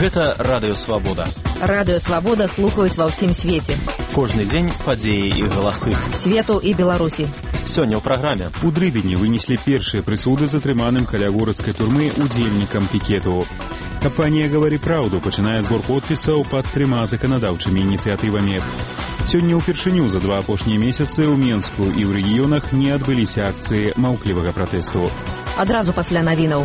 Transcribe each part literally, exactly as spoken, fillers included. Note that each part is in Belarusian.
Гэта Радыё Свабода. Радыё Свабода слухаюць ва ўсім свеце. Кожны дзень падзеі і галасы. Свету і Беларусі. Сёння ў праграме. У Дрыбені вынеслі першыя прысуды затрыманым каля городскай турмы удзельнікам пікету. Кампанія «Гавары праўду» пачынае збор подпісаў пад трыма заканадаўчымі ініцыятывамі. Сёння ўпершыню за два апошнія месяцы ў Менску і ў рэгіёнах не адбыліся акцыі маўклівага пратэсту. Адразу пасля навінаў.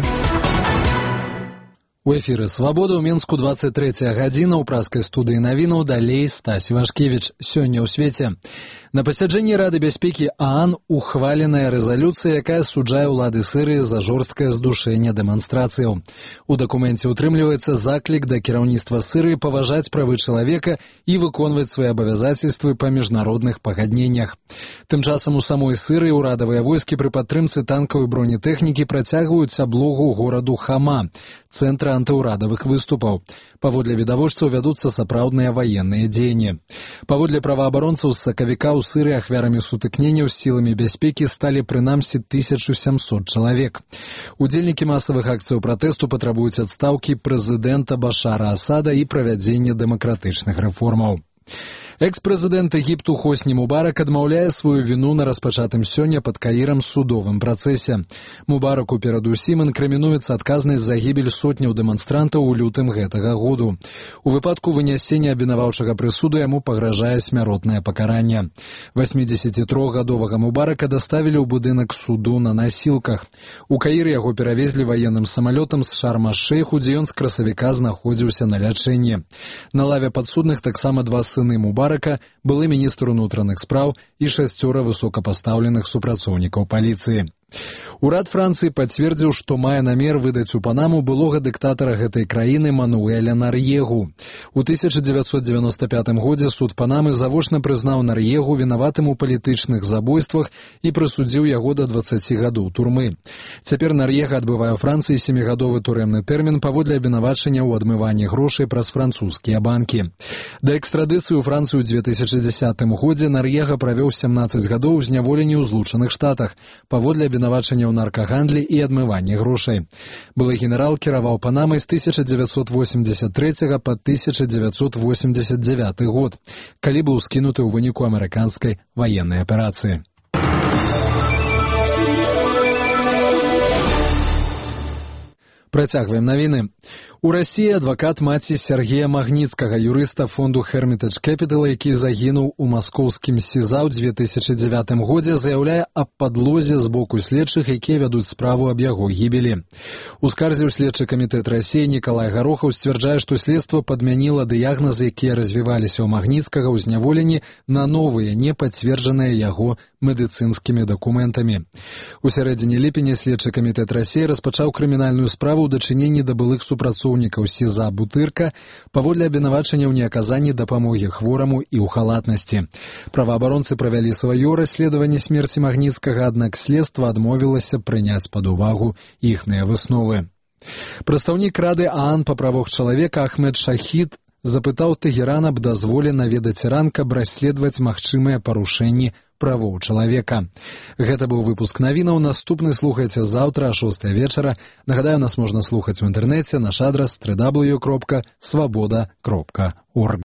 У эфіры «Свабода» ў Менску двадцать третья гадзіна ў праскай студыі навінаў, далей Стась Вашкевіч. Сёння ў свеце. На пасяджэнні Рады бяспекі ААН ухваленая рэзалюцыя, якая суджае ўлады Сірыі за жорсткае здушэнне дэманстрацыяў. У дакуменце ўтрымліваецца заклік да кіраўніцтва Сірыі паважаць правы чалавека і выконваць свае абавязацельствы па міжнародных пагадненнях. Тым часам у самой Сірыі ўрадавыя войскі пры падтрымцы танкаў і бронетэхнікі працягваюць аблогу гораду Хама, цэнтра антыўрадавых выступаў. Паводле відавочцаў вядуцца сапраўдныя ваенныя дзеянні. Паводле праваабаронцаў з сакавіка ў Сірыі ахвярамі сутыкненняў з сіламі бяспекі сталі прынамсі тысяча сямсот чалавек. Удзельнікі масавых акцыяў пратэсту патрабуюць адстаўкі прэзідэнта Башара Асада і правядзення дэмакратычных рэформаў. Экс-прэзідэнт Егіпту Хосні Мубарак адмаўляе сваю віну на распачатым сёння пад Каірам судовым працэсе. Мубараку перадусім інкрымінуецца адказнасць за гібель сотняў дэманстрантаў у лютым гэтага году. У выпадку вынясення абвінаваўчага прысуду яму пагражае смяротнае пакаранне. васьмідзесятітрохгадовага Мубарака даставілі ў будынак суду на насілках. У Каіры яго перавезлі ваенным самалётам з Шарм-аш-Шэйху, дзе ён з красавіка знаходзіўся на лячэнні. На лаве падсудных таксама два сыны Мубарака, былы міністр унутраных спраў і шасцёра высокапастаўленых супрацоўнікаў паліцыі. Урад Францыі пацвердзіў, што мае намер выдаць у Панаму былога дыктатара гэтай краіны Мануэля Нар'егу. У тысяча дзевяцьсот дзевяноста пятым годзе суд Панамы завочна прызнаў Нар'егу вінаватым у палітычных забойствах і прысудзіў яго да дваццаці гадоў турмы. Цяпер Нар'ега адбывае ў Францыі сямігадовы турэмны тэрмін паводле абвінавачання ў адмыванні грошай праз французскія банкі. Да экстрадыцыі ў Францыю ў две тысячы дзесятым годзе Нар'ега правёў сямнаццаць гадоў у зняволенні ў Злучаных Штатах паводле абвінавачання ў наркагандлі і адмыванні грошай. Былы генерал кіраваў Панамай з тысяча дзевяцьсот восемьдесят третьего па тысяча дзевяцьсот восемьдесят девятый год, калі быў скінуты ў выніку амерыканскай ваеннай аперацыі. Працягваем навіны. У Расіі адвакат маці Сергея Магніцкага, юрыста фонду Hermitage Capital, які загінуў у маскоўскім СІЗА ў две тысячы дзевятым годзе, заяўляе аб падлозе з боку следчых, якія вядуць справу аб яго гібелі. У скарзе ў следчы камітэт Расіі Нікалай Гарохаў сцвярджае, што следства падмяніла дыягназы, якія развіваліся ў Магніцкага ў зняволенні, на новыя, не пацверджаныя яго медыцынскімі дакументамі. У сярэдзіне ліпеня следчы камітэт Расіі распачаў крымінальную справу ў дачыненні да былых супрацоўнікаў СІЗА Бутырка паводле абвінавачання ў неаказанні дапамогі хвораму і ў халатнасці. Праваабаронцы правялі сваё расследаванне смерці Магніцкага, аднак следства адмовілася прыняць пад увагу іхныя высновы. Прадстаўнік Рады ААН па правах чалавека Ахмед Шахід запытаў Тэгеран аб дазволе наведаць Іран, каб расследаваць магчымыя парушэнні правоў чалавека. Гэта быў выпуск навінаў. Наступны слухайце заўтра а шостай вечара. Нагадаю, нас можна слухаць у інтэрнэце. Наш адрас дабл ю дабл ю дабл ю кропка свабода кропка орг.